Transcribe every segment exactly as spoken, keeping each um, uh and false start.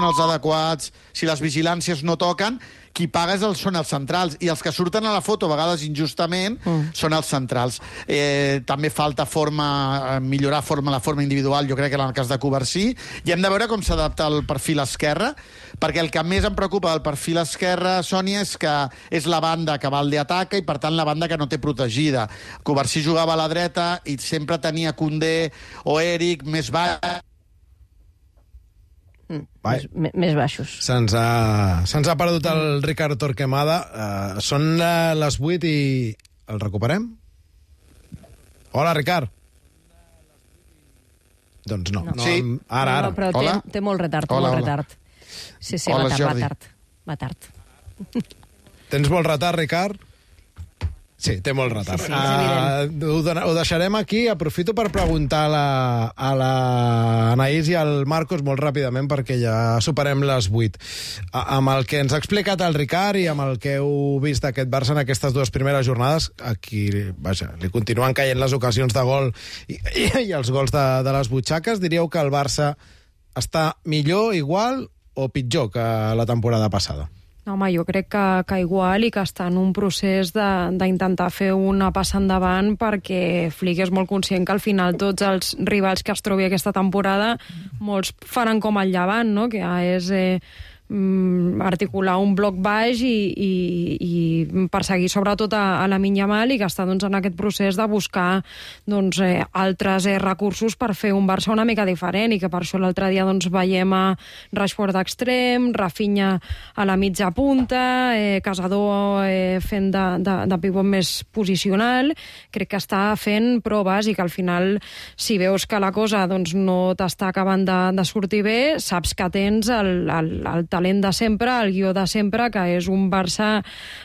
els adequats, si les vigilàncies no toquen, qui paga són els centrals, i els que surten a la foto, a vegades injustament, mm. són els centrals. Eh, també falta forma, millorar forma, la forma individual, jo crec que en el cas de Covarsí, i hem de veure com s'adapta el perfil esquerre, perquè el que més em preocupa del perfil esquerre, Sònia, és que és la banda que Valde ataca i, per tant, la banda que no té protegida. Covarsí jugava a la dreta i sempre tenia Koundé o Eric més baix. Mm, més, més baixos. Se'ns ha, se'ns ha perdut el Ricard Torquemada. Uh, són uh, les vuit i el recuperem? Hola, Ricard. Doncs no. no. Sí. Ara, ara. No, però té, té molt retard. Hola, molt hola. retard. Sí, sí, hola, va tard, Jordi. va tard. Va tard. Tens molt retard, Ricard? Sí, té molt retard. Sí, sí, és uh, ho, ho deixarem aquí. Aprofito per preguntar a la, a la Anaïs i al Marcos molt ràpidament, perquè ja superem les vuit. A, amb el que ens ha explicat el Ricard i amb el que heu vist d'aquest Barça en aquestes dues primeres jornades, aquí, vaja, li continuen caient les ocasions de gol i, i, i els gols de, de les butxaques. Diríeu que el Barça està millor, igual o pitjor que la temporada passada? No, home, jo crec que, que igual i que està en un procés d'intentar fer una passa endavant, perquè Flick és molt conscient que al final tots els rivals que es trobi aquesta temporada, molts faran com el Llevant, no? Que és eh, articular un bloc baix i, i, i perseguir sobretot a, a Lamine Yamal, i que està doncs, en aquest procés de buscar doncs, eh, altres eh, recursos per fer un Barça una mica diferent, i que per això l'altre dia doncs, veiem a Rashford d'extrem, Rafinha a la mitja punta, eh, Casador eh, fent de, de, de pivot més posicional. Crec que està fent proves i que al final, si veus que la cosa doncs, no t'està acabant de, de sortir bé, saps que tens el, el, el talent de sempre, el guió de sempre, que és un Barça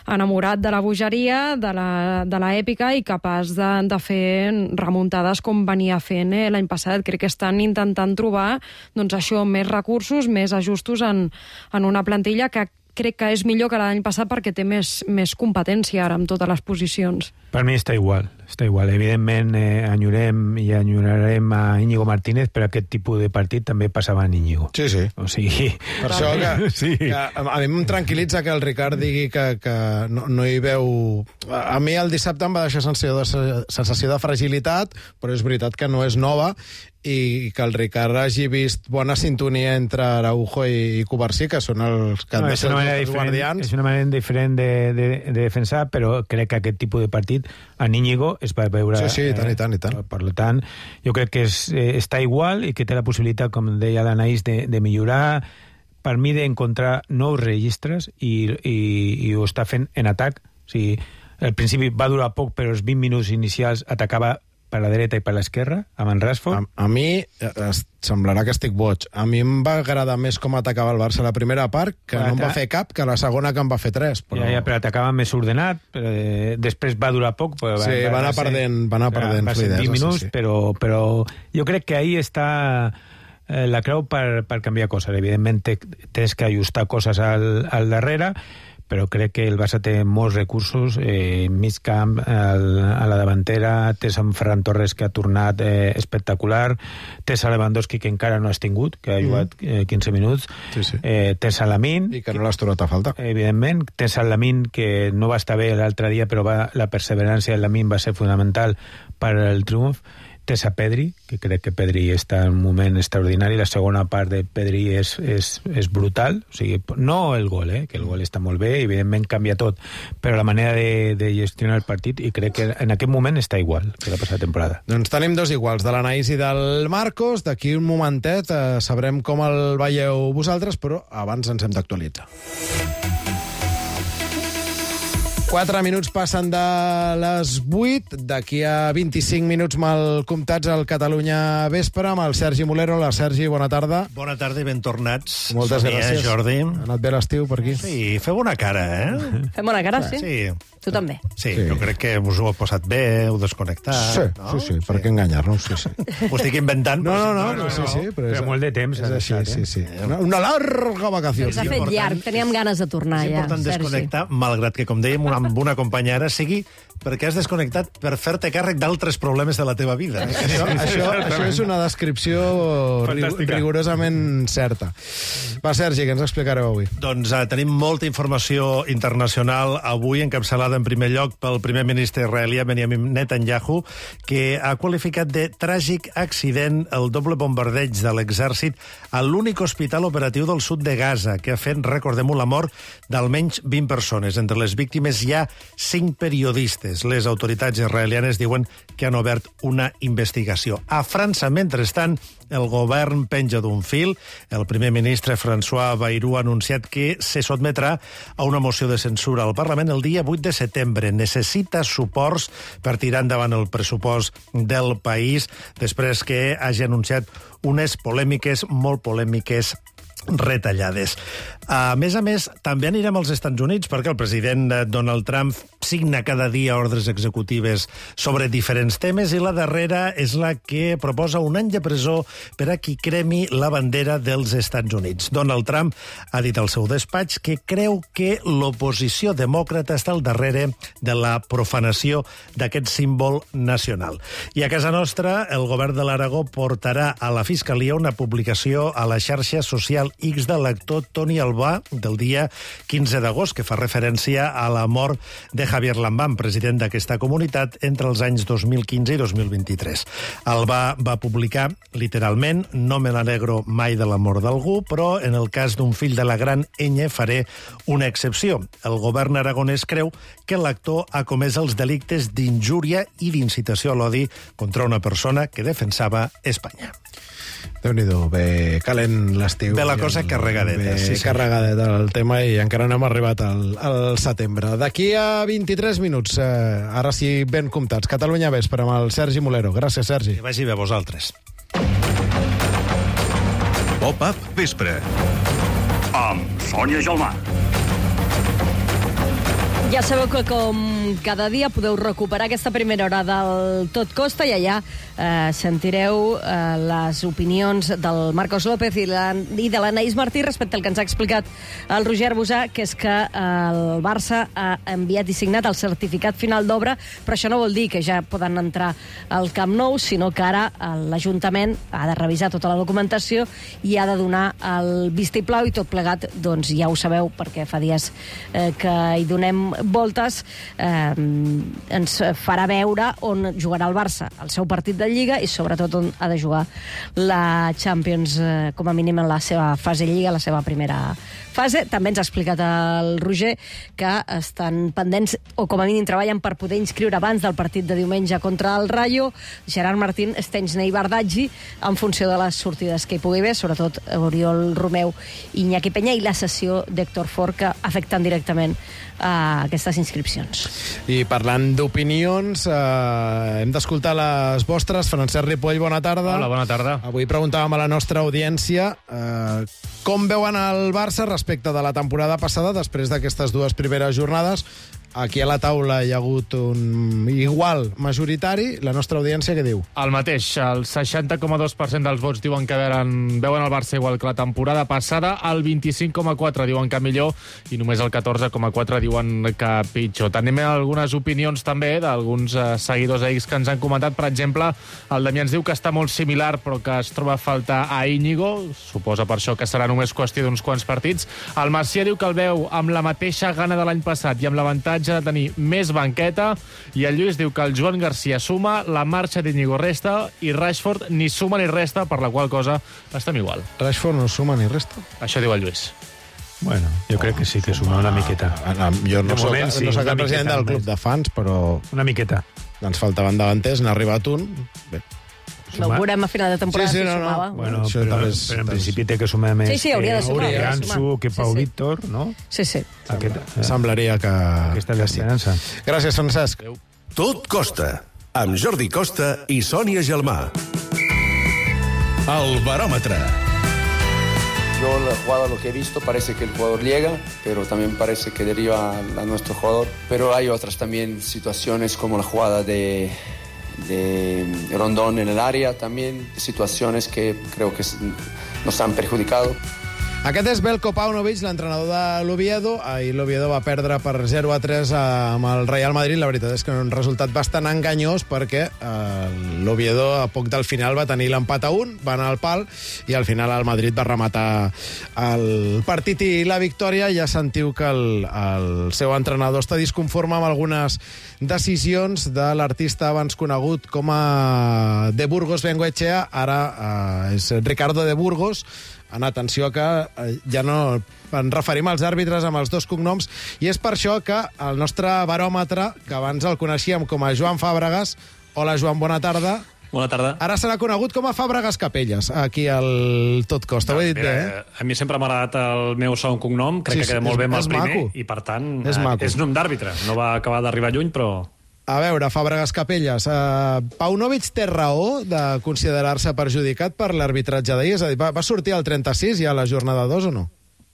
enamorat de la bogeria, de l'èpica i capaç de, de fer remuntades com venia fent eh, l'any passat. Crec que estan intentant trobar doncs, això, més recursos, més ajustos en, en una plantilla que crec que és millor que l'any passat perquè té més, més competència ara en totes les posicions. Per mi està igual, està igual. Evidentment eh, enyorem i enyorarem a Íñigo Martínez, però aquest tipus de partit també passava en Íñigo. Sí, sí. O sigui... Per això que, sí. que a mi em tranquil·litza que el Ricard digui que, que no, no hi veu... A mi el dissabte em va deixar sensació de, sensació de fragilitat, però és veritat que no és nova, i que el Ricard hagi vist bona sintonia entre Araujo i, i Covarsí, que són els que no, han de ser els guardians. És una manera diferent de, de, de defensar, però crec que aquest tipus de partit a Íñigo es va veure... Sí, sí, i tant, i tant, i tant. Eh, per tant, jo crec que és, eh, està igual i que té la possibilitat, com deia l'Anaïs, de, de millorar, per mi d'encontrar nous registres, i, i, i ho està fent en atac. O sigui, al principi va durar poc, però els vint minuts inicials atacava per la dreta i per l'esquerra, amb en Rashford. A, a mi, es, semblarà que estic boig, a mi em va agradar més com atacava el Barça la primera part, que però no em va fer cap, que la segona que em va fer tres. Però... Ja, ja, però atacava més ordenat, però, eh, després va durar poc. Però sí, va, va anar perdent, va anar perdent va ser vint minuts, sí, sí. Però, però jo crec que ahí està eh, la creu per, per canviar coses. Evidentment, tens que ajustar coses al, al darrere, però crec que el Barça té molts recursos, eh, mig camp, el, a la davantera, tens en Ferran Torres, que ha tornat eh, espectacular, tens a Lewandowski, que encara no has tingut, que ha jugat eh, quinze minuts, sí, sí. Eh, tens a Lamine... I que no l'has trobat a falta. Evidentment, tens a Lamine, que no va estar bé l'altre dia, però va, la perseverança de Lamine va ser fonamental per al triomf. Tens a Pedri, que crec que Pedri està en un moment extraordinari, la segona part de Pedri és, és, és brutal, o sigui, no el gol, eh, que el gol està molt bé, evidentment canvia tot, però la manera de, de gestionar el partit, i crec que en aquest moment està igual que la passada temporada. Doncs tenim dos iguals, de l'Anaïs i del Marcos. D'aquí un momentet eh, sabrem com el veieu vosaltres, però abans ens hem d'actualitzar. Quatre minuts passen de les vuit. D'aquí a vint-i-cinc minuts mal comptats al Catalunya Vespre amb el Sergi Molero. La Sergi, bona tarda. Bona tarda i ben tornats. Moltes Sonia, gràcies. Jordi. Ha anat bé l'estiu per aquí? Sí, feu bona cara, eh? Fem bona cara, sí? Sí. Tu també. Sí, Sí. jo crec que us ho heu posat bé, heu desconnectat. Sí, no? sí, sí, per què enganyar-nos? Sí, sí. Ho estic inventant. No, no, no, però no, sí, sí, però és, Però molt de temps és ha així, deixat, sí, eh? sí. Una, una larga vacació. S'ha fet important- llarg, teníem ganes de tornar És ja, important Sergi. desconnectar, malgrat que, com dèiem, una amb una companya ara, sigui perquè has desconnectat per fer-te càrrec d'altres problemes de la teva vida. Això, això, això és una descripció rig Fantàstica. rigorosament certa. Va, Sergi, què ens explicareu avui? Doncs uh, tenim molta informació internacional avui, encapçalada en primer lloc pel primer ministre israelià Benjamin Netanyahu, que ha qualificat de tràgic accident el doble bombardeig de l'exèrcit a l'únic hospital operatiu del sud de Gaza, que ha fet, recordem-ho, la mort d'almenys vint persones. Entre les víctimes hi ha cinc periodistes. Les autoritats israelianes diuen que han obert una investigació. A França, mentrestant, el govern penja d'un fil. El primer ministre François Bayrou ha anunciat que se sotmetrà a una moció de censura al Parlament el dia vuit de setembre. Necessita suports per tirar endavant el pressupost del país després que hagi anunciat unes polèmiques, molt polèmiques, retallades. A més a més, també anirem als Estats Units perquè el president Donald Trump signa cada dia ordres executives sobre diferents temes i la darrera és la que proposa un any de presó per a qui cremi la bandera dels Estats Units. Donald Trump ha dit al seu despatx que creu que l'oposició demòcrata està al darrere de la profanació d'aquest símbol nacional. I a casa nostra, el govern de l'Aragó portarà a la Fiscalia una publicació a la xarxa social X de l'actor Toni Albà del dia quinze d'agost, que fa referència a la mort de Javier Lambán, president d'aquesta comunitat, entre els anys dos mil quinze i dos mil vint-i-tres. Albà va publicar, literalment, no me n'alegro mai de la mort d'algú, però en el cas d'un fill de la gran enya faré una excepció. El govern aragonès creu que l'actor ha comès els delictes d'injúria i d'incitació a l'odi contra una persona que defensava Espanya. Déu-n'hi-do, bé calent l'estiu. Bé la cosa carregadeta. Bé Sí, sí. carregadeta el tema i encara no hem arribat al, al setembre. D'aquí a vint-i-tres minuts, eh, ara sí ben comptats, Catalunya Vespre amb el Sergi Molero. Gràcies, Sergi. Que vagi bé a vosaltres. Pop-up Vespre amb Sònia Gelmà. Ja sabeu que com cada dia podeu recuperar aquesta primera hora del Tot Costa i allà eh, sentireu eh, les opinions del Marcos López i, la, i de l'Anaïs Martí respecte al que ens ha explicat el Roger Arbusà, que és que eh, el Barça ha enviat i signat el certificat final d'obra, però això no vol dir que ja poden entrar al Camp Nou, sinó que ara l'Ajuntament ha de revisar tota la documentació i ha de donar el vistiplau i tot plegat, doncs ja ho sabeu, perquè fa dies eh, que hi donem voltes, eh, ens farà veure on jugarà el Barça el seu partit de Lliga i sobretot on ha de jugar la Champions, eh, com a mínim en la seva fase Lliga, la seva primera fase. També ens ha explicat el Roger que estan pendents, o com a mínim treballen per poder inscriure abans del partit de diumenge contra el Rayo Gerard Martín, Stenchny i Bardaggi, en funció de les sortides que hi pugui haver, sobretot Oriol Romeu i Iñaki Peña, i la cessió d'Héctor Ford, que afecten directament a aquestes inscripcions. I parlant d'opinions, eh, hem d'escoltar les vostres. Francesc Ripoll, bona tarda. Hola, bona tarda. Avui preguntàvem a la nostra audiència eh, com veuen el Barça respecte de la temporada passada, després d'aquestes dues primeres jornades. Aquí a la taula hi ha hagut un igual majoritari. La nostra audiència què diu? El mateix, el seixanta coma dos per cent dels vots diuen que veuen, veuen el Barça igual que la temporada passada, el vint-i-cinc coma quatre diuen que millor i només el catorze coma quatre diuen que pitjor. Tenim algunes opinions també d'alguns eh, seguidors a X que ens han comentat. Per exemple, el Damià ens diu que està molt similar però que es troba a faltar a Íñigo, suposa per això que serà només qüestió d'uns quants partits. El Macià diu que el veu amb la mateixa gana de l'any passat i amb l'avantatge de tenir més banqueta, i el Lluís diu que el Joan Garcia suma, la marxa d'Íñigo resta i Rashford ni suma ni resta, per la qual cosa estem igual. Rashford no suma ni resta? Això diu el Lluís. Bueno, jo crec que sí que suma una miqueta. Ah, jo no De soc, moment, sí, no soc una el president miqueta del club més. de fans, però Una miqueta. ens faltaven davanters, n'ha arribat un. Bé. No ho veurem a final de temporada Sí, sí, si no, no. sumava. Bueno, Això però, també és- però en principi té que sumar més Sí, sí, hauria de sumar, que hauria de Ansu, sumar. que Pau Sí, sí. Víctor, no? Sí, sí. Aquest, eh, Semblaria que... aquesta és que sí. l'esperança. Gràcies, Francesc. Tot Costa, amb Jordi Costa i Sònia Gelmà. El baròmetre. Yo la jugada, lo que he visto, parece que el jugador llega, pero también parece que deriva a, a nuestro jugador. Pero hay otras también situaciones como la jugada de, de Rondón en el área, también situaciones que creo que nos han perjudicado. Aquest és Veljko Paunovic, l'entrenador de l'Oviedo. Ahir l'Oviedo va perdre per zero a tres amb el Real Madrid. La veritat és que era un resultat bastant enganyós perquè eh, l'Oviedo a poc del final va tenir l'empat a un, va anar al pal i al final el Madrid va rematar el partit i la victòria. Ja sentiu que el, el seu entrenador està disconforme amb algunes decisions de l'artista abans conegut com a De Burgos Bengoechea, ara eh, és Ricardo De Burgos. En atenció que eh, ja no en referim als àrbitres amb els dos cognoms, i és per això que el nostre baròmetre, que abans el coneixíem com a Joan Fàbregas, hola Joan, bona tarda. Bona tarda. Ara serà conegut com a Fàbregas Capelles, aquí al Tot Costa. No, ho he dit mira, bé, eh? A mi sempre m'ha agradat el meu segon cognom, crec sí, que queda molt bé amb el primer, maco. I per tant és, eh, és nom d'àrbitre. No va acabar d'arribar lluny, però... A veure, Fàbregas Capelles, uh, Paunovic té raó de considerar-se perjudicat per l'arbitratge d'ahir? És a dir, va, va sortir al trenta-sis ja a la jornada dos o no?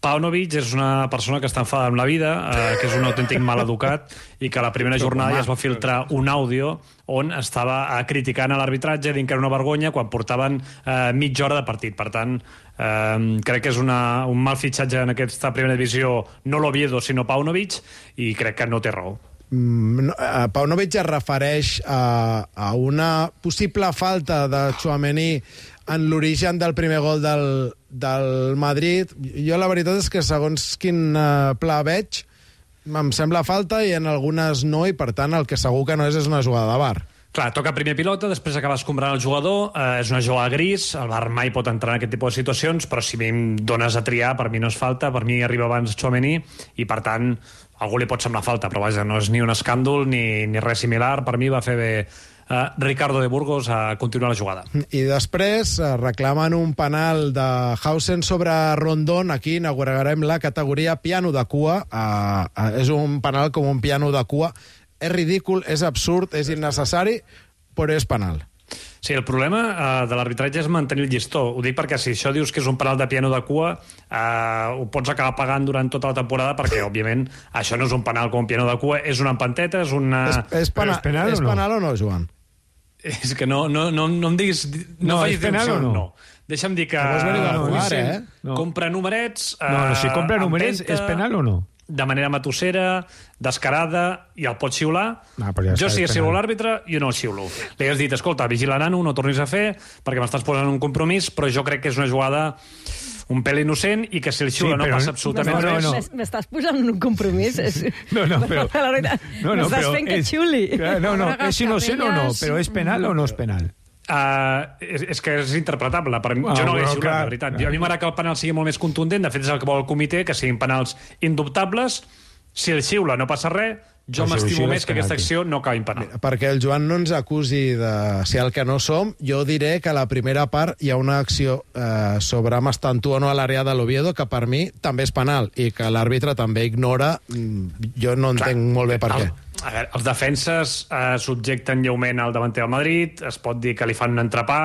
Paunovic és una persona que està enfadada amb la vida, eh, que és un autèntic maleducat i que a la primera jornada ja es va filtrar un àudio on estava eh, criticant a l'arbitratge, dient que era una vergonya quan portaven eh, mitja hora de partit. Per tant, eh, crec que és una, un mal fitxatge en aquesta primera divisió, no l'Oviedo, sinó Paunovic, i crec que no té raó. Mm, Paunovic es refereix a, a una possible falta de Tchouaméni en l'origen del primer gol del, del Madrid. Jo la veritat és que segons quin uh, pla veig em sembla falta i en algunes no, i per tant el que segur que no és és una jugada de V A R. Clar, toca primer pilota, després acaba escombrant el jugador, eh, és una jugada gris, el V A R mai pot entrar en aquest tipus de situacions, però si a mi em dones a triar, per mi no és falta, per mi arriba abans Tchouaméni, i per tant algú li pot semblar falta, però vaja, no és ni un escàndol ni, ni res similar. Per mi va fer bé uh, Ricardo De Burgos a continuar la jugada. I després uh, reclamen un penal de Hausen sobre Rondón. Aquí inaugurarem la categoria piano de cua. Uh, uh, és un penal com un piano de cua. És ridícul, és absurd, és innecessari, però és penal. Sí, el problema uh, de l'arbitratge és mantenir el llistó. Ho dic perquè si això dius que és un penal de piano de cua, uh, ho pots acabar pagant durant tota la temporada, perquè, òbviament, això no és un penal com un piano de cua, és una empanteta, és una... És, és, pena, és penal, és o, no? penal o no, Joan? És que no, no, no, no em diguis... No, no és penal o no? no. Deixa'm dir que... No, no, no, eh? no. Compra numerets... Uh, no, no, si compra numerets, empenta, és penal o no? De manera matossera, descarada, i el pot xiular. Ah, ja jo si ja xiulo l'àrbitre, jo no el xiulo. Li has dit, escolta, vigila nano, no tornis a fer, perquè m'estàs posant un compromís, però jo crec que és una jugada un pèl innocent i que si el xiula sí, no passa absolutament no, res. No, no. M'estàs posant un compromís? No, no, però... No, no, m'estàs fent que xiuli. No, no, és innocent o no, però és penal o no és penal? Uh, és, és que és interpretable. Per, ah, jo no l'he xiulat, la veritat. Jo, a mi m'agrada que el penal sigui molt més contundent. De fet, és el que vol el comitè, que siguin penals indubtables. Si el xiula no passa res, jo no, m'estimo més que aquesta acció no acabi en penal. Perquè el Joan no ens acusi de ser el que no som, jo diré que a la primera part hi ha una acció eh, sobre Mastantuono no a l'àrea de l'Oviedo que per mi també és penal i que l'àrbitre també ignora. Jo no entenc Clar, molt bé per el, què. A veure, els defenses eh, subjecten lleument al davanter del Madrid, es pot dir que li fan un entrepà,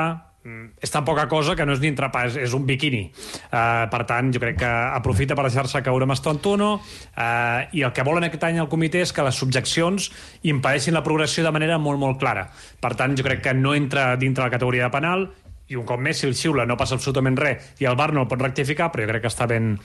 és tan poca cosa que no és ni entrepà, és, és un biquini. Uh, per tant, jo crec que aprofita per deixar-se caure Mastantuono, uh, i el que volen aquest any al comitè és que les subjeccions impedeixin la progressió de manera molt, molt clara. Per tant, jo crec que no entra dintre la categoria de penal, i un cop més, si el xiula no passa absolutament res i el V A R no el pot rectificar, però jo crec que està ben,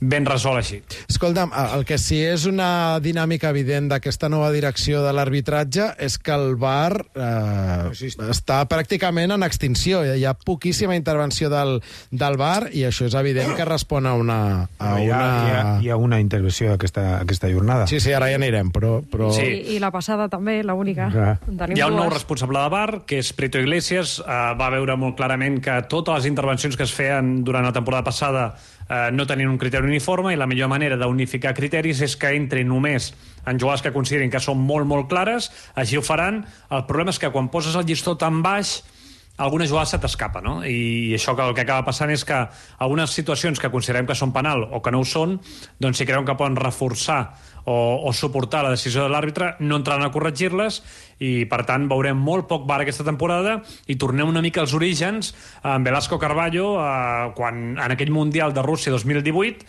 ben resolt així. Escolta'm, el que sí és una dinàmica evident d'aquesta nova direcció de l'arbitratge és que el V A R eh, està pràcticament en extinció. Hi ha poquíssima intervenció del, del V A R i això és evident que respon a una... A no, hi, ha, una... Hi, ha, hi ha una intervenció aquesta, aquesta jornada. Sí, sí, ara ja anirem, però... però... Sí. I, I la passada també, l'única. Hi ha un nou responsable de V A R, que és Prieto Iglesias, eh, va veure molt clar que totes les intervencions que es feien durant la temporada passada eh, no tenien un criteri uniforme, i la millor manera d'unificar criteris és que entrin només en jugades que considerin que són molt, molt clares, així ho faran. El problema és que quan poses el llistó tan baix, alguna jugada se t'escapa, no? I això que el que acaba passant és que algunes situacions que considerem que són penal o que no ho són, doncs si creuen que poden reforçar o, o suportar la decisió de l'àrbitre, no entraran a corregir-les, i per tant veurem molt poc V A R aquesta temporada i tornem una mica als orígens amb Velasco Carballo, eh, quan en aquell Mundial de Rússia dos mil divuit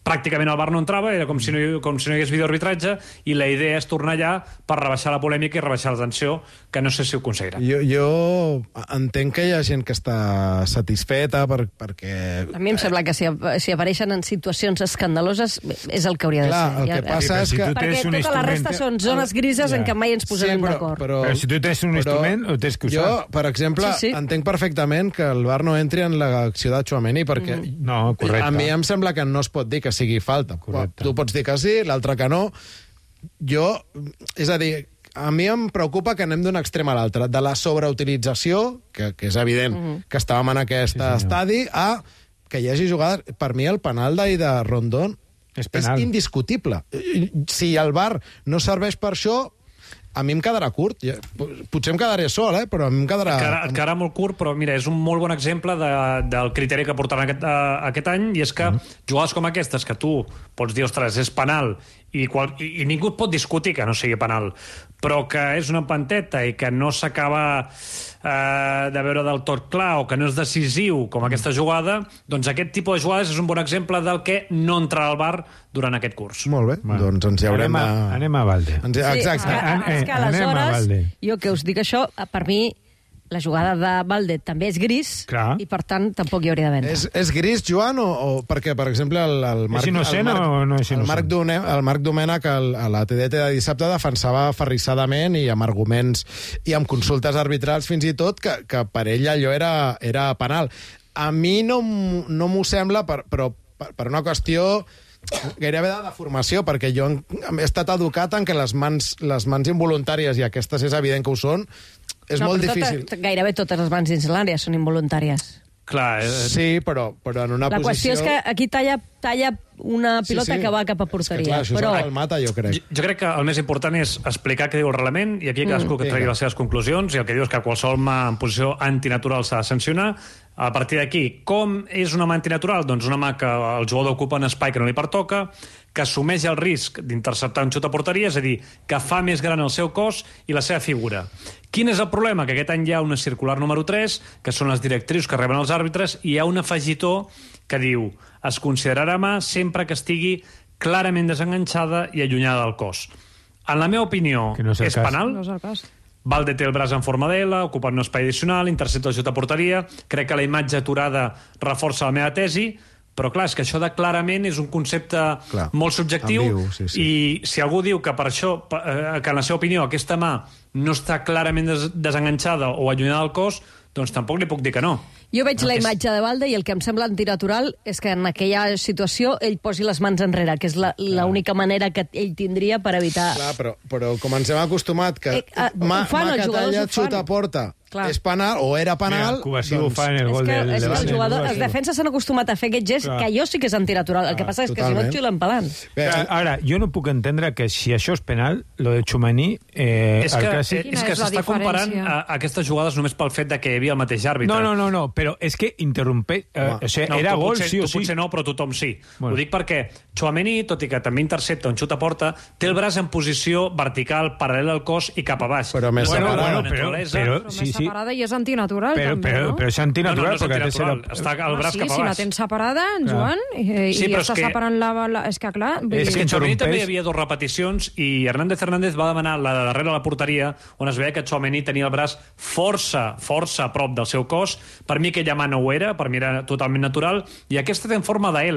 pràcticament el V A R no entrava, era com si no, com si no hi hagués videoarbitratge, i la idea és tornar allà per rebaixar la polèmica i rebaixar la tensió, que no sé si ho aconseguirà. Jo, jo entenc que hi ha gent que està satisfeta per, perquè... A mi em sembla que si, si apareixen en situacions escandaloses és el que hauria de Clar, ser. el que Ja- passa és si que... tu Perquè tens un tota la resta instrument- són zones grises en què mai ens posarem però, d'acord. però, Però si tu tens un instrument, ho tens que usar. Jo, per exemple, Sí, sí. entenc perfectament que el V A R no entri en l'acció de Tchouaméni perquè Mm. No, correcte. a mi em sembla que no es pot dir que sigui falta. Correcte. Tu pots dir que sí, l'altre que no. Jo, és a dir, a mi em preocupa que anem d'un extrem a l'altre, de la sobreutilització, que, que és evident Mm-hmm. que estàvem en aquest Sí, senyor. estadi, a que hi hagi jugades... Per mi el penal d'ahir de Rondón És és, penal. indiscutible. Si el V A R no serveix per això, a mi em quedarà curt. Ja- Potser em quedaré sol, eh? Però a mi em quedarà... Et quedarà, et quedarà molt curt, però mira, és un molt bon exemple de, del criteri que portaran aquest, uh, aquest any, i és que mm. jugades com aquestes, que tu pots dir, ostres, és penal, i, qual, i, i ningú et pot discutir que no sigui penal, però que és una empanteta i que no s'acaba eh, de veure del tot clar o que no és decisiu com aquesta jugada, doncs aquest tipus de jugades és un bon exemple del que no entrarà al V A R durant aquest curs. Molt bé, Bueno, doncs ens hi haurem anem a, de... anem a Valde. Ens... Sí, Exacte. és que, An- és que eh, anem a aleshores, Valde. jo que us dic això, per mi la jugada de Valde també és gris, Clar. i per tant tampoc hi hauria de vendre. És, és gris, Joan, o, o perquè, per exemple, el, el Marc... innocent el Marc, o no és el innocent? Marc, Done, el Marc Domènech el, a la T D T de dissabte defensava aferrissadament i amb arguments i amb consultes arbitrals fins i tot que, que per ell allò era, era penal. A mi no, m- no m'ho sembla, per, però per, per una qüestió gairebé de deformació, perquè jo he estat educat en que les mans, les mans involuntàries, i aquestes és evident que ho són, és no, molt però difícil. Tota, gairebé totes les mans dins l'àrea són involuntàries. Clar, eh, Sí, però, però en una La posició... qüestió és que aquí talla, talla una pilota Sí, sí. que va cap a És que, porteria. clar, això però... és el mata, jo crec. Jo, jo crec que el més important és explicar què diu el reglament, i aquí cadascú que vinga. tregui les seves conclusions, i el que diu és que qualsevol mà en posició antinatural s'ha de sancionar. A partir d'aquí, com és una mà antinatural? Doncs una mà que el jugador ocupa un espai que no li pertoca, que assumeix el risc d'interceptar un xut a porteria, és a dir, que fa més gran el seu cos i la seva figura. Quin és el problema? Que aquest any hi ha una circular número tres, que són les directrius que reben els àrbitres, i hi ha un afegitó que diu: es considerarà mà sempre que estigui clarament desenganxada i allunyada del cos. En la meva opinió, Que no és el és cas. penal. No és el cas. Valde té el braç en forma de L, ocupant un espai addicional, intercepta el xut a porteria. Crec que la imatge aturada reforça la meva tesi, però clar, és que això de clarament és un concepte Clar, molt subjectiu, ambigu, sí, sí. i si algú diu que per això, eh, que en la seva opinió aquesta mà no està clarament des desenganxada o allunyada del cos, doncs tampoc li puc dir que no. Jo veig No, la és- imatge de Valde i el que em sembla antinatural és que en aquella situació ell posi les mans enrere, que és la- l'única manera que ell tindria per evitar... Clar, però, però com ens hem acostumat que Eh, eh, mà, ho fan, mà els que jugadors talla ho fan. xuta a porta Clar. és penal, o era penal... Mira, Cuba sí ho fa en el És gol que, del és que del els, jugadors, Barça. els defenses s'han acostumat a fer aquest gest, Clar. que jo sí que és antinatural. El que passa és que si no totalment. et xiulen pelant. Bé, Ara, ara, jo no puc entendre que si això és penal, lo de Tchouaméni, eh, és el que, clàssic... és Quina que és la s'està comparant diferència? a, a aquestes jugades només pel fet de que hi havia el mateix àrbitre. No, no, no, no, però és que interrompe... Eh, o sigui, No, era tu gol, potser, sí o tu sí. potser no, però tothom sí. Bueno. Ho dic perquè Tchouaméni, tot i que també intercepta un xut a porta, té el braç en posició vertical, paral·lel al cos i cap a baix. Però més Bueno, separada. bueno, Bueno, però, naturalesa- però, Però sí, més sí, separada i és antinatural, però, també, però, no? però és No, no, antinatural, no és perquè antinatural. té Està el Ah, braç sí, cap a si la baix. tens separada, en Clar. Joan, i, Sí, i però està és que- separant la, la... És que, clar... vull És És dir- que Tchouaméni interrompeix. també hi havia dues repeticions i Hernández Hernández va demanar la de darrere la porteria, on es veia que Tchouaméni tenia el braç força, força a prop del seu cos. Per mi aquella mà no ho era, per mi era totalment natural, i aquesta té en forma de L,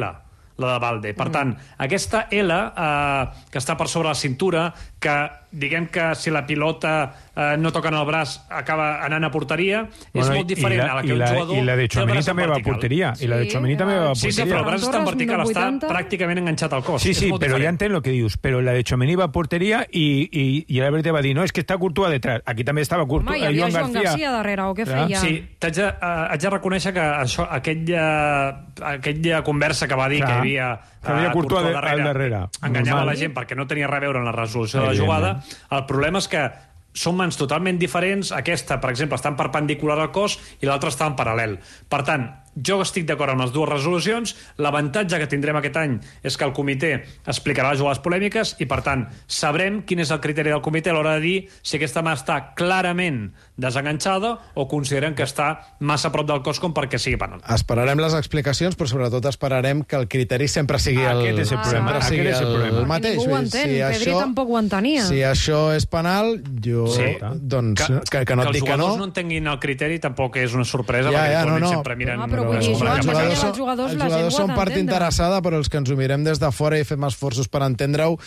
la de Valde. Per tant, aquesta L, eh, que està per sobre la cintura, que diguem que si la pilota eh, no toca en el braç acaba anant a porteria, és Bueno, molt diferent i la, a la que i un la, jugador I la de té el Tchouaméni braç en també va a vertical. porteria. I la de Sí, Tchouaméni també va a Sí, sí, porteria. però el braç està en Torres, vertical, està vuitanta. pràcticament enganxat al cos. Sí, És sí, molt però ja diferent. entenc el que dius. Però la de Tchouaméni va a porteria i, i, i l'àrbitre va dir no, és que està Courtois detrás. Aquí també estava Courtois. Home, hi havia Joan García darrere, o què Clar. feia? Sí, t'haig de, uh, haig de reconèixer que això, aquella, aquella conversa que va dir Clar. que hi havia Que havia Courtois de- al darrere. enganyava Normal. la gent perquè no tenia res a veure en la resolució de la Evidentment. jugada. El problema és que són mans totalment diferents. Aquesta, per exemple, està en perpendicular al cos i l'altra està en paral·lel. Per tant, Jo estic d'acord amb les dues resolucions. L'avantatge que tindrem aquest any és que el comitè explicarà les jugades polèmiques i, per tant, sabrem quin és el criteri del comitè a l'hora de dir si aquesta mà està clarament desenganxada o consideren que està massa a prop del cos com perquè sigui penal. Esperarem les explicacions, però sobretot esperarem que el criteri sempre sigui el, Aquest és el problema. sempre sigui Aquest és el el, problema. el mateix. Ningú ho Vull dir, entén. Pedri tampoc ho entenia. Si això és penal, jo... Sí. Doncs que, que, que no que et els dic que no. jugadors no entenguin el criteri tampoc és una sorpresa, Ja, perquè ja, no, habitualment no. sempre miren... Ah, però vull les dir, coses Joan, que perquè passen. els jugadors, els la gent jugadors ho ha són part d'entendre. interessada, però els que ens ho mirem des de fora i fem esforços per entendre-ho,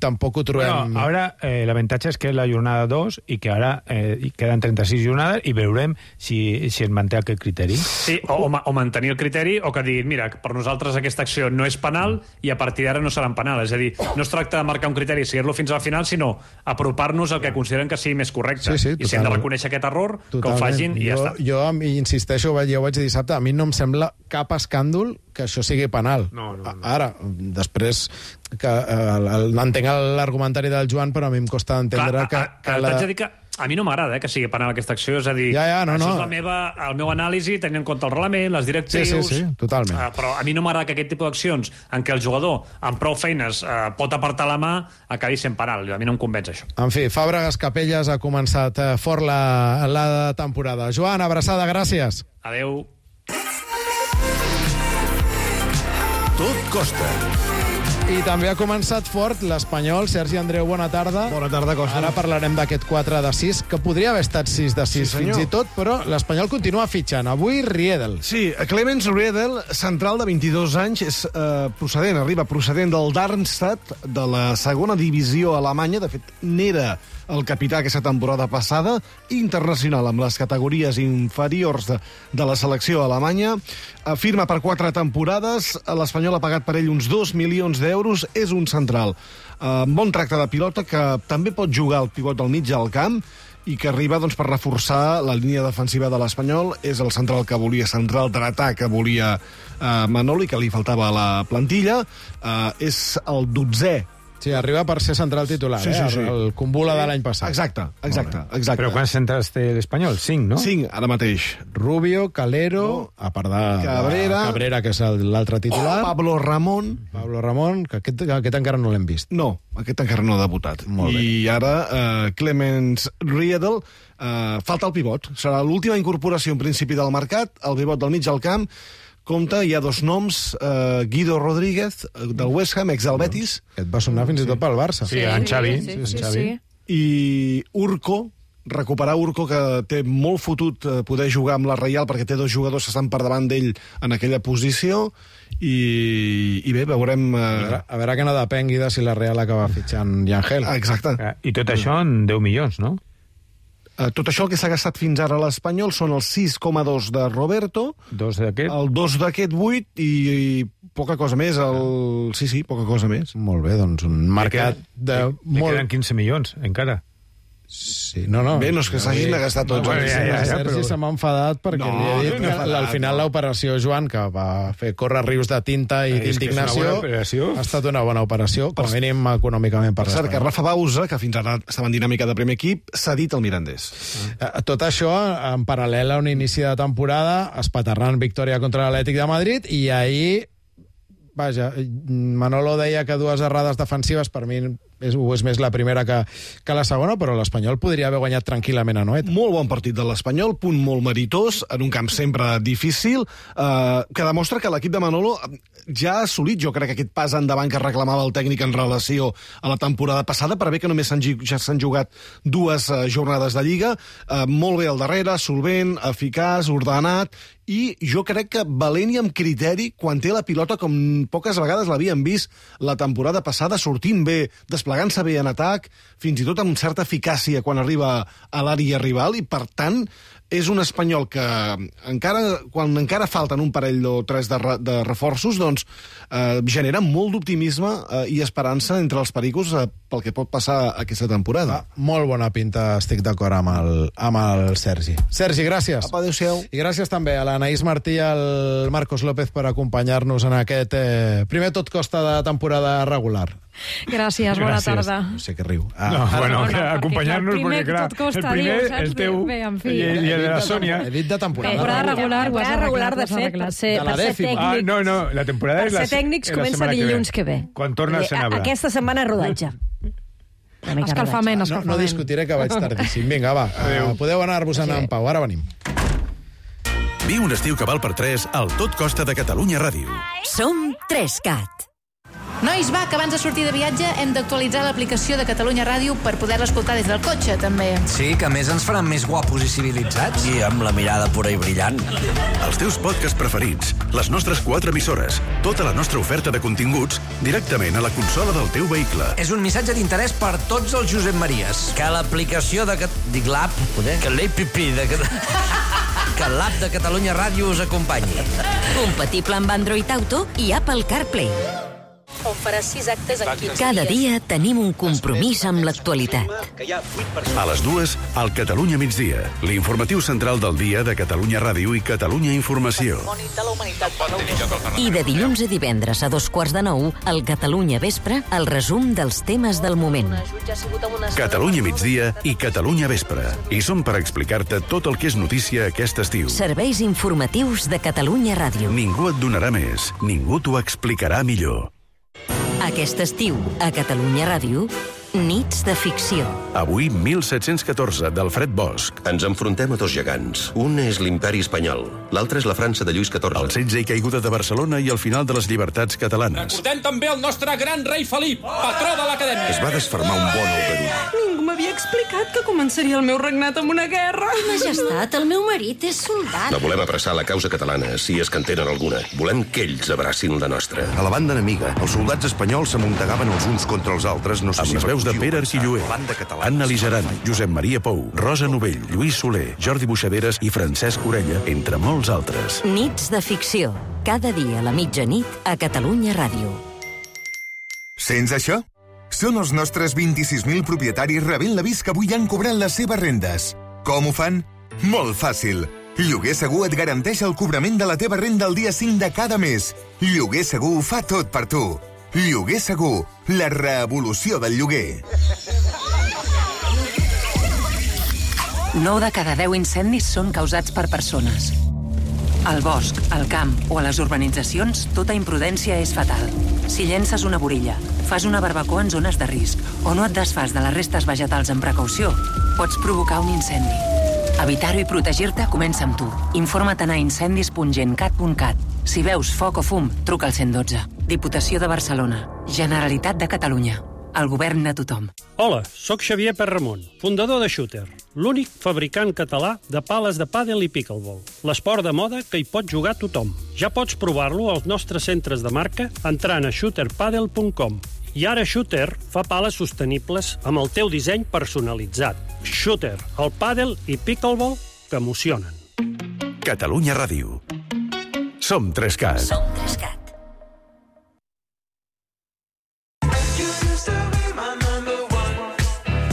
tampoc ho trobem... Bueno, ahora eh, l'avantatge és que és la jornada dos i que ara eh, queden trenta-sis jornades i veurem si, si es manté aquest criteri. Sí, o, o, ma- o mantenir el criteri, o que diguin, mira, per nosaltres aquesta acció no és penal i a partir d'ara no seran penal. És a dir, no es tracta de marcar un criteri i seguir-lo fins al final, sinó apropar-nos al que consideren que sigui més correcte. Sí, sí, I si hem de totalment. reconèixer aquest error, que ho Totalment. facin i ja jo, està. Jo em- insisteixo, ja ho vaig dir dissabte, a mi no em sembla cap escàndol que això sigui penal. No, no, no. Ara, després, que eh, entenc l'argumentari del Joan, però a mi em costa entendre Clar, que... a, a, que la... T'haig de dir que a mi no m'agrada eh, que sigui penal aquesta acció, és a dir, Ja, ja, no, això no. és la meva, el meu anàlisi, tenint en compte el reglament, les directrius... Sí, sí, sí, totalment. Uh, però a mi no m'agrada que aquest tipus d'accions, en què el jugador, amb prou feines, uh, pot apartar la mà, acabi sent penal. A mi no em convenç, això. En fi, Fàbregas Capelles ha començat eh, fort la, la temporada. Joan, abraçada, gràcies. Adeu. Tot costa. I també ha començat fort l'Espanyol. Sergi Andreu, bona tarda. Bona tarda, Costa. Ara parlarem d'aquest quatre de sis, que podria haver estat sis de sis Sí, fins senyor. i tot, però l'Espanyol continua fitxant. Avui, Riedel. Sí, Clemens Riedel, central de vint-i-dos anys, és eh, procedent, arriba procedent del Darmstadt, de la segona divisió alemanya. De fet, n'era el capità aquesta temporada passada, internacional amb les categories inferiors de, de la selecció alemanya. Eh, firma per quatre temporades, l'Espanyol ha pagat per ell uns dos milions d'euros, és un central. Eh, bon tracte de pilota, que també pot jugar el pivot al mig al camp, i que arriba doncs, per reforçar la línia defensiva de l'Espanyol. És el central que volia, central dretà que volia eh, Manolo i que li faltava a la plantilla. Eh, és el dotzè. Sí, arriba per ser central titular, Sí, eh? sí, sí. El Kumbula de l'any passat. Exacte, exacte, exacte. Però quants centres té l'Espanyol? Cinc, no? Cinc, ara mateix. Rubio, Calero, No. a part de Cabrera. de Cabrera, que és el- l'altre titular. Pablo Ramón. Pablo Ramón, que aquest, que aquest encara no l'hem vist. No, aquest encara no ha debutat. Molt bé. I ara eh, Clemens Riedel, eh, falta el pivot. Serà l'última incorporació en principi del mercat, el pivot del mig al camp. Compte, hi ha dos noms, eh, Guido Rodríguez, eh, del West Ham, ex del Betis, Aquest va sonar fins i tot pel Barça. Sí, en Xavi. Sí, sí, en sí. Xavi. i Urco, recuperar Urco, que té molt fotut eh, poder jugar amb la Reial, perquè té dos jugadors que estan per davant d'ell en aquella posició, i, i bé, veurem... A Eh, veure, a veure que no depengui de si la Real acaba fitxant Yangel. exacte. Ah, I tot això en deu milions, no? Eh, tot això el que s'ha gastat fins ara a l'Espanyol són els sis coma dos de Roberto, Dos d'aquest. el dos d'aquest vuit i, i poca cosa més. El... Sí, sí, poca cosa més. Molt bé, doncs un mercat de Li molt... queden quinze milions, encara. Sí, no, no. Bé, no és que s'hagin gastat tots. Bueno, els ja, ja, ja, Sergi però- se m'ha enfadat perquè No, li he dit no que m'he enfadat, al final no. l'operació Joan, que va fer córrer rius de tinta i Eh, és que és una d'indignació, bona operació. ha estat una bona operació, com a mínim econòmicament Per per cert, que l'Espanyol. Rafa Bausa, que fins ara estava en dinàmica de primer equip, s'ha dit al Mirandés. Eh, Tot això en paral·lel a un inici de temporada espaterrant victòria contra l'Atlètic de Madrid, i ahir, vaja, Manolo deia que dues errades defensives, per mi és, ho és més la primera que, que la segona, però l'Espanyol podria haver guanyat tranquil·lament a Noeta. Molt bon partit de l'Espanyol, punt molt meritós, en un camp sempre difícil, eh, que demostra que l'equip de Manolo ja ha assolit, jo crec, aquest pas endavant que reclamava el tècnic en relació a la temporada passada, per bé que només s'han gi- ja s'han jugat dues eh, jornades de Lliga, eh, molt bé al darrere, solvent, eficaç, ordenat, i jo crec que valent i amb criteri quan té la pilota, com poques vegades l'havíem vist la temporada passada, sortint bé, desplegant-se bé en atac, fins i tot amb certa eficàcia quan arriba a l'àrea rival, i per tant és un Espanyol que encara, quan encara falten un parell o tres de, re, de reforços, doncs eh, genera molt d'optimisme eh, i esperança entre els pericos eh, pel que pot passar aquesta temporada. Ah, molt bona pinta, estic d'acord amb, el, amb el Sergi. Sergi, gràcies. Apa, adéu-siau. I gràcies també a l'Anaïs Martí i al Marcos López per acompanyar-nos en aquest eh, primer tot costa de temporada regular. Gràcies, bona Gràcies. tarda. No sé què riu. Ah, No, ara- bueno, no, que perquè acompanyar-nos, el primer perquè clar, tot costa, el primer, diu, saps? el teu Bé, en fi. i, i el de la He dit Sònia. He dit de temporada. Temporada regular, ho has Temporada regular, de arreglat, ho has fet, arreglat. per ser, De la per ser dècima. tècnic. Ah, no, no, la temporada Per és la, ser tècnics la comença setmana dilluns que ve. Quan torna el Vull dir, Senabre. Aquesta setmana rodatge. Una mica Escalfament, No, escalfament. no discutiré, que vaig tardíssim. Vinga, va, uh, podeu anar-vos-en en pau. Ara venim. Viu un estiu que val per tres al Tot Costa de Catalunya Ràdio. Som Trescat. Nois, va, que abans de sortir de viatge hem d'actualitzar l'aplicació de Catalunya Ràdio per poder-la escoltar des del cotxe, també. Sí, que a més ens faran més guapos i civilitzats. I amb la mirada pura i brillant. Els teus podcasts preferits, les nostres quatre emissores, tota la nostra oferta de continguts directament a la consola del teu vehicle. És un missatge d'interès per tots els Josep Maries. Que l'aplicació de... Cat... Dic l'app, poder? Que l'A P P de... Que l'app de Catalunya Ràdio us acompanyi. Compatible amb Android Auto i Apple CarPlay. On farà sis actes en quinze Cada dies. dia tenim un compromís amb l'actualitat. A les dues, al Catalunya migdia, l'informatiu central del dia de Catalunya Ràdio i Catalunya Informació. I de dilluns a divendres a dos quarts de nou, al Catalunya Vespre, el resum dels temes del moment. Catalunya migdia i Catalunya vespre. I som per explicar-te tot el que és notícia aquest estiu. Serveis informatius de Catalunya Ràdio. Ningú et donarà més, ningú t'ho explicarà millor. Aquest estiu, a Catalunya Ràdio, Nits de ficció. Avui, mil set-cents catorze, d'Alfred Bosch. Ens enfrontem a dos gegants. Un és l'imperi espanyol, l'altre és la França de Lluís catorze. El setge i caiguda de Barcelona i el final de les llibertats catalanes. Recordem també el nostre gran rei Felip, patró de l'acadèmia. Es va desfermar un bon albedoll. Ningú m'havia explicat que començaria el meu regnat amb una guerra. Majestat, el meu marit és soldat. No volem abraçar la causa catalana, si és que en tenen alguna. Volem que ells abracin la nostra. A la banda enemiga, els soldats espanyols s'amuntegaven els uns contra els altres, no sé amb si les veus de Pere Arquilloé, Anna Ligeran, Josep Maria Pou, Rosa Novell, Lluís Soler, Jordi Buixaderes i Francesc Orella, entre molts altres. Nits de ficció. Cada dia a la mitjanit a Catalunya Ràdio. Sents això? Són els nostres vint-i-sis mil propietaris rebent l'avís que avui han cobrat les seves rendes. Com ho fan? Molt fàcil. Lloguer Segur et garanteix el cobrament de la teva renda el dia cinc de cada mes. Lloguer Segur ho fa tot per tu. Lloguer Segur, la revolució del lloguer. nou de cada deu incendis són causats per persones. Al bosc, al camp o a les urbanitzacions, tota imprudència és fatal. Si llences una borilla, fas una barbacoa en zones de risc o no et desfas de les restes vegetals amb precaució, pots provocar un incendi. Evitar-ho i protegir-te comença amb tu. Informa't a incendis punt gencat punt cat. Si veus foc o fum, truca al cent i dotze. Diputació de Barcelona. Generalitat de Catalunya. El govern de tothom. Hola, sóc Xavier Perramon, fundador de Shooter, l'únic fabricant català de pales de pàdel i pickleball. L'esport de moda que hi pot jugar tothom. Ja pots provar-lo als nostres centres de marca entrant a shooter padel punt com. I ara Shooter fa pales sostenibles amb el teu disseny personalitzat. Shooter, el pàdel i pickleball que emocionen. Catalunya Ràdio. Som Trescat. Som Trescat.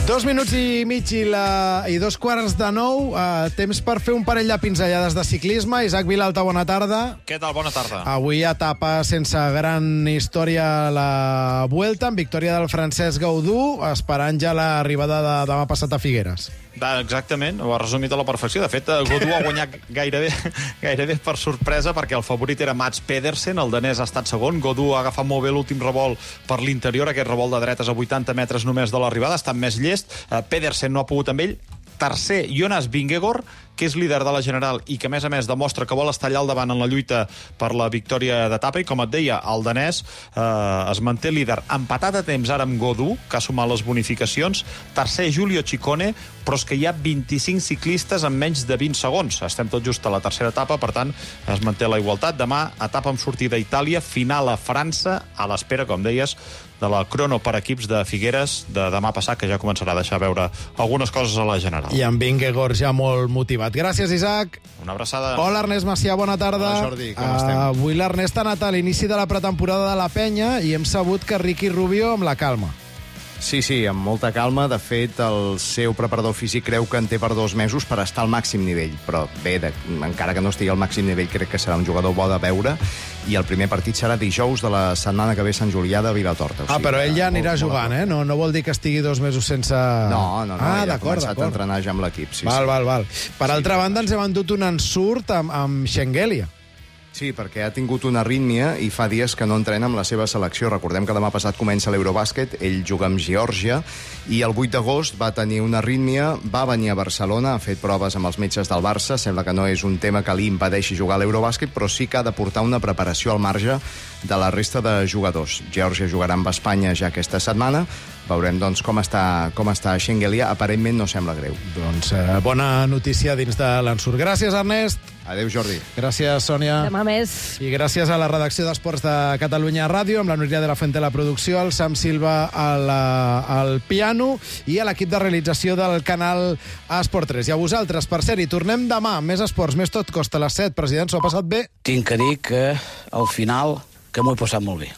Dos minuts i mig i, la, i dos quarts de nou. Uh, temps per fer un parell de pinzellades de ciclisme. Isaac Vilalta, bona tarda. Què tal? Bona tarda. Avui etapa sense gran història a la Vuelta, amb victòria del Francesc Gaudú, esperant ja l'arribada de demà passat a Figueres. Exactament, ho ha resumit a la perfecció. De fet, Gaudú ha guanyat gairebé, gairebé per sorpresa, perquè el favorit era Mats Pedersen, el danès ha estat segon. Gaudú ha agafat molt bé l'últim revolt per l'interior, aquest revolt de dretes a vuitanta metres només de l'arribada, ha estat més llest. Pedersen no ha pogut amb ell. Tercer, Jonas Vingegaard, que és líder de la General i que, a més a més, demostra que vol estar allà al davant en la lluita per la victòria d'etapa. I, com et deia, el danès eh, es manté líder. Empatat a temps ara amb Gaudú, que ha sumat les bonificacions. Tercer, Giulio Ciccone, però és que hi ha vint-i-cinc ciclistes en menys de vint segons. Estem tot just a la tercera etapa, per tant, es manté la igualtat. Demà, etapa amb sortida a Itàlia, final a França, a l'espera, com deies, de la crono per equips de Figueres de demà passat, que ja començarà a deixar veure algunes coses a la General. I amb Vingegaard ja molt motivat. Gràcies, Isaac. Una abraçada. Hola, Ernest Macià, bona tarda. Hola, Jordi, com uh, estem? Avui l'Ernest ha anat a l'inici de la pretemporada de la Penya i hem sabut que Ricky Rubio amb la calma. Sí, sí, amb molta calma. De fet, el seu preparador físic creu que en té per dos mesos per estar al màxim nivell. Però bé, de, encara que no estigui al màxim nivell, crec que serà un jugador bo de veure. i el primer partit serà dijous de la setmana que ve a Sant Julià de Vilatorta. O sigui, ah, però ell ja anirà molt, jugant, molt eh? No, no vol dir que estigui dos mesos sense... No, no, no, ah, ja ha començat a entrenar ja amb l'equip. Sí, val, sí. val, val. Per sí, altra banda, ens hem endut un ensurt amb, amb Schengelia. Sí, perquè ha tingut una arrítmia i fa dies que no entrena amb la seva selecció. Recordem que demà passat comença l'Eurobàsquet, ell juga amb Geòrgia, i el vuit d'agost va tenir una arrítmia, va venir a Barcelona, ha fet proves amb els metges del Barça, sembla que no és un tema que li impedeixi jugar a l'Eurobàsquet, però sí que ha de portar una preparació al marge de la resta de jugadors. Geòrgia jugarà amb Espanya ja aquesta setmana, veurem doncs, com està, com està Schengelia. Aparentment no sembla greu. Doncs eh, bona notícia dins de l'ensurt. Gràcies, Ernest. Adéu, Jordi. Gràcies, Sònia. Demà més. I gràcies a la redacció d'Esports de Catalunya Ràdio, amb la Núria de la Fuente a la producció, el Sam Silva al, al piano i a l'equip de realització del canal Esport tres. I a vosaltres, per cert, i tornem demà. Més esports, més tot costa a les set. President, s'ho ha passat bé? Tinc que dir que al final que m'ho he passat molt bé.